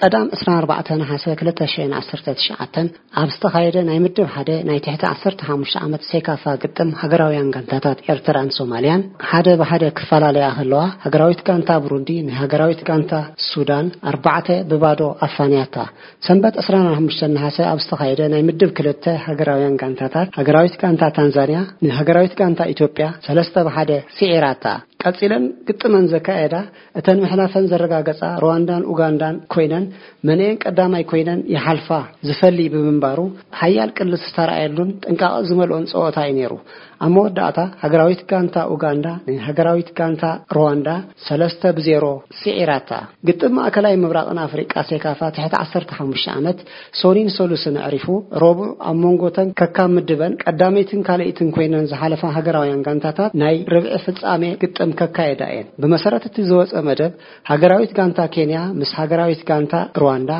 ቀዳም ዕስራን ኣርባዕተን ነሓሰ ክልተ ሽሕን ዓሰርተ ትሽዓተን ኣብ ዝተኻየደ ናይ ምድብ ሓደ ናይ ትሕቲ ዓሰርተ ሓሙሽተ ዓመት ሴካፋ ግጥም ሃገራውያን ጋንታታት ኤርትራን ሶማልያን፣ ሓደ ብሓደ ክፈላለያ ከለዋ፣ ሃገራዊት ጋንታ ብሩንዲ ንሃገራዊት ጋንታ ሱዳን ኣርባዕተ ብባዶ ኣፋንያታ። ሰንበት ዕስራን ሓሙሽተን ነሓሰ ኣብ ዝተኻየደ ናይ ምድብ ክልተ ሃገራውያን ጋንታታት፣ ሃገራዊት ጋንታ ታንዛንያ ንሃገራዊት ጋንታ ኢትዮጵያ ሰለስተ ብሓደ ስዒራታ። ቀጺለን ግጥመን ዘካየዳ፣ እተን ምሕላፈን ዘረጋገጻ ሩዋንዳን ኡጋንዳን ኮይነን፣ መንኤን ቀዳማይ ኮይነን ይሓልፋ ዝፈሊ ብምንባሩ፣ ሓያል ቅልስ ዝተራእየሉን ጥንቃቐ ዝመልኦን ጸወታ እዩ ነይሩ። ኣብ መወዳእታ፣ ሃገራዊት ጋንታ ኡጋንዳ ንሃገራዊት ጋንታ ሩዋንዳ ሰለስተ ብዜሮ ስዒራታ። ግጥም ማእከላይ ምብራቕን ኣፍሪቃ ሴካፋ ትሕቲ ዓሰርተ ሓሙሽተ ዓመት ሶኒን ሰሉስን ኣዕሪፉ፣ ረቡዕ ኣብ መንጎተን ከካብ ምድበን ቀዳመይትን ካልኣይትን ኮይነን ዝሓለፋ ሃገራውያን ጋንታታት ናይ ርብዒ ፍጻሜ ግጥም ከካየዳ እየን። ብመሰረት እቲ ዝወጸ መደብ፣ ሃገራዊት ጋንታ ኬንያ ምስ ሃገራዊት ጋንታ ሩዋንዳ፣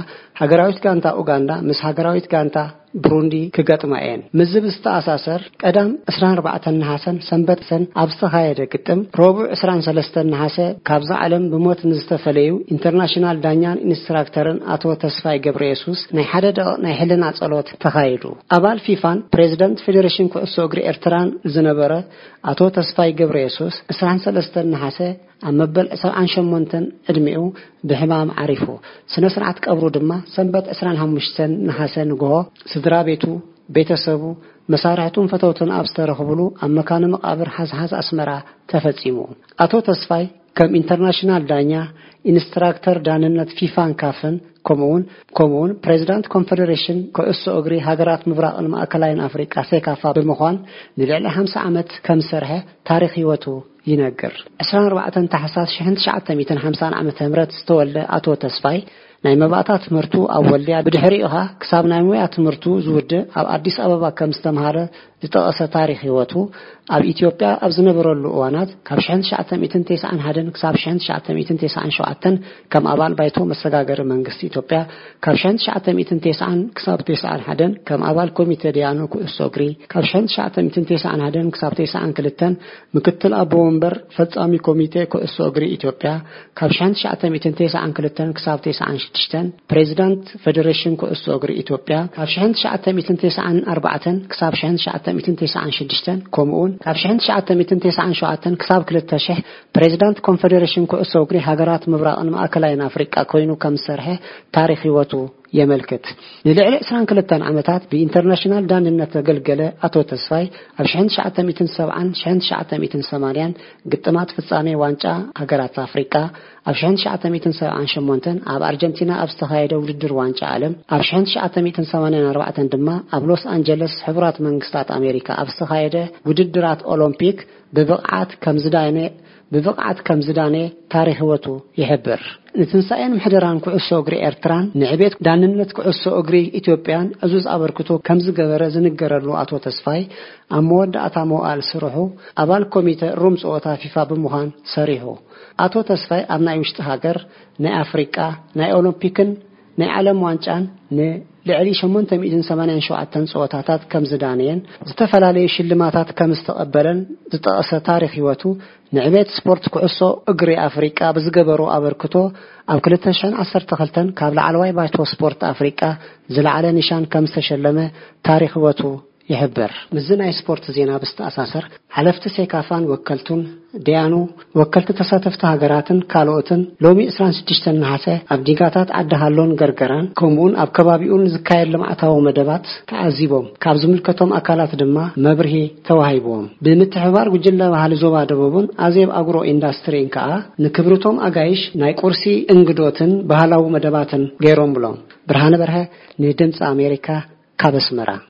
ሃገራዊት ጋንታ ኡጋንዳ ምስ ሃገራዊት ጋንታ ብሩንዲ ክገጥማ እየን። ምስዚ ብዝተኣሳሰር፣ ቀዳም ዕስራን ኣርባዕተን ነሓሰን ሰንበትን ኣብ ዝተኻየደ ግጥም፣ ረቡዕ ዕስራን ሰለስተን ነሓሰ ካብዛ ዓለም ብሞት ንዝተፈለዩ ኢንተርናሽናል ዳኛን ኢንስትራክተርን ኣቶ ተስፋይ ገብረየሱስ ናይ ሓደ ደቂቕ ናይ ሕልና ጸሎት ተኻይዱ። ኣባል ፊፋን ፕሬዚደንት ፌዴሬሽን ኩዕሶ እግሪ ኤርትራን ዝነበረ ኣቶ ተስፋይ ገብረየሱስ ዕስራን ሰለስተን ነሓሰ ኣብ መበል ሰብዓን ሸሞንተን ዕድሚኡ ብሕማም ዓሪፉ። ስነ ስርዓት ቀብሩ ድማ ሰንበት ዕስራን ሓሙሽተን ነሓሰ ንግሆ ስድራ ቤቱ፣ ቤተሰቡ፣ መሳርሕቱን ፈተውቱን ኣብ ዝተረኽብሉ ኣብ መካነ መቓብር ሓዝሓዝ ኣስመራ ተፈጺሙ። ኣቶ ተስፋይ ከም ኢንተርናሽናል ዳኛ፣ ኢንስትራክተር ዳንነት ፊፋን ካፍን፣ ከምኡውን፣ ከምኡውን ፕሬዚዳንት ኮንፌዴሬሽን ኩዕሶ እግሪ ሃገራት ምብራቕን ማእከላይን ኣፍሪቃ ሴካፋ ብምዃን ንልዕሊ ሓምሳ ዓመት ከም ዝሰርሐ ታሪኽ ህይወቱ ይነግር። ዕስራን ኣርባዕተን ታሕሳስ ሽሕን ትሽዓተ ሚእትን ሓምሳን ዓመተ ምህረት ዝተወልደ ኣቶ ተስፋይ፣ ናይ መባእታ ትምህርቱ ኣብ ወልድያ፣ ብድሕሪኡ ኸኣ ክሳብ ናይ ሞያ ትምህርቱ ዝውድእ ኣብ ኣዲስ ኣበባ ከም ዝተምሃረ ዝጠቐሰ ታሪኽ ህይወቱ፣ ኣብ ኢትዮጵያ ኣብ ዝነበረሉ እዋናት ካብ ሽሕን ትሽዓተ ሚእትን ተስዓን ሓደን ክሳብ ሽሕን ትሽዓተ ሚእትን ተስዓን ሸውዓተን ከም ኣባል ባይቶ መሰጋገሪ መንግስቲ ኢትዮጵያ፣ ካብ ሽሕን ትሽዓተ ሚእትን ተስዓን ክሳብ ተስዓን ሓደን ከም ኣባል ኮሚቴ ደያኑ ኩዕሶ እግሪ፣ ካብ ሽሕን ትሽዓተ ሚእትን ተስዓን ሓደን ክሳብ ተስዓን ክልተን ምክትል ኣቦ ወንበር ፈጻሚ ኮሚቴ ኩዕሶ እግሪ ኢትዮጵያ፣ ካብ ሽሕን ትሽዓተ ሚእትን ተስዓን ክልተን ክሳብ ተስዓን ሽዱሽተን ፕሬዚዳንት ፌዴሬሽን ኩዕሶ እግሪ ኢትዮጵያ፣ ካብ ሽሕን ትሽዓተ ሚእትን ተስዓን ኣርባዕተን ክሳብ ሽሕን ትሽዓተ ሚእትን ተስዓን ሽዱሽተን፣ ከምኡውን ካብ ሽሕን ትሽዓተ ሚእትን ተስዓን ሸውዓተን ክሳብ ክልተ ሽሕ ፕሬዚዳንት ኮንፌዴሬሽን ኩዕሶ እግሪ ሃገራት ምብራቕን ማእከላይን ኣፍሪቃ ኮይኑ ከም ዝሰርሐ ታሪኽ ህይወቱ የመልክት። ንልዕሊ ዕስራን ክልተን ዓመታት ብኢንተርናሽናል ዳንነት ዘገልገለ ኣቶ ተስፋይ፣ ኣብ ሽሕን ትሽዓተ ሚእትን ሰብዓን ሽሕን ትሽዓተ ሚእትን ሰማንያን ግጥማት ፍጻሜ ዋንጫ ሃገራት ኣፍሪቃ፣ ኣብ ሽሕን ትሽዓተ ሚእትን ሰብዓን ሸሞንተን ኣብ ኣርጀንቲና ኣብ ዝተኻየደ ውድድር ዋንጫ ዓለም፣ ኣብ ሽሕን ትሽዓተ ሚእትን ሰማንያን ኣርባዕተን ድማ ኣብ ሎስ ኣንጀለስ ሕቡራት መንግስታት ኣሜሪካ ኣብ ዝተኻየደ ውድድራት ኦሎምፒክ ብብቕዓት ከም ዝዳነ፣ ብብቕዓት ከም ዝዳነ ታሪኽ ህይወቱ ይሕብር። ንትንሳኤን ምሕደራን ኩዕሶ እግሪ ኤርትራን ንዕቤት ዳንነት ኩዕሶ እግሪ ኢትዮጵያን ዕዙዝ ኣበርክቶ ከም ዝገበረ ዝንገረሉ ኣቶ ተስፋይ፣ ኣብ መወዳእታ መዋእል ስርሑ ኣባል ኮሚተ ሩም ጸወታ ፊፋ ብምዃን ሰሪሑ። ኣቶ ተስፋይ ኣብ ናይ ውሽጢ ሃገር፣ ናይ ኣፍሪቃ፣ ናይ ኦሎምፒክን ናይ ዓለም ዋንጫን ንልዕሊ ሸሞንተ ሚእትን ሰማንያን ሸውዓተን ጸወታታት ከም ዝዳነየን ዝተፈላለዩ ሽልማታት ከም ዝተቐበለን ዝጠቐሰ ታሪኽ ህይወቱ፣ ንዕቤት ስፖርት ኩዕሶ እግሪ ኣፍሪቃ ብዝገበሮ ኣበርክቶ ኣብ ክልተ ሽሕን ዓሰርተ ክልተን ካብ ላዕለዋይ ባይቶ ስፖርት ኣፍሪቃ ዝለዓለ ኒሻን ከም ዝተሸለመ ታሪኽ ህይወቱ ይሕብር። ምስዚ ናይ ስፖርት ዜና ብዝተኣሳሰር፣ ሓለፍቲ ሴካፋን ወከልቱን፣ ደያኑ፣ ወከልቲ ተሳተፍቲ ሃገራትን ካልኦትን ሎሚ ዕስራን ሽዱሽተን ነሓሰ ኣብ ዲጋታት ዓዲ ሃሎን ገርገራን ከምኡውን ኣብ ከባቢኡን ዝካየድ ልምዓታዊ መደባት ተዓዚቦም። ካብ ዝምልከቶም ኣካላት ድማ መብርሂ ተዋሂብዎም። ብምትሕብባር ጉጅለ ባህሊ ዞባ ደቡብን ኣዜብ ኣግሮ ኢንዳስትሪን ከኣ ንክብርቶም ኣጋይሽ ናይ ቁርሲ እንግዶትን ባህላዊ መደባትን ገይሮምሎም። ብርሃነ በርሀ ንድምፂ ኣሜሪካ ካብ ኣስመራ።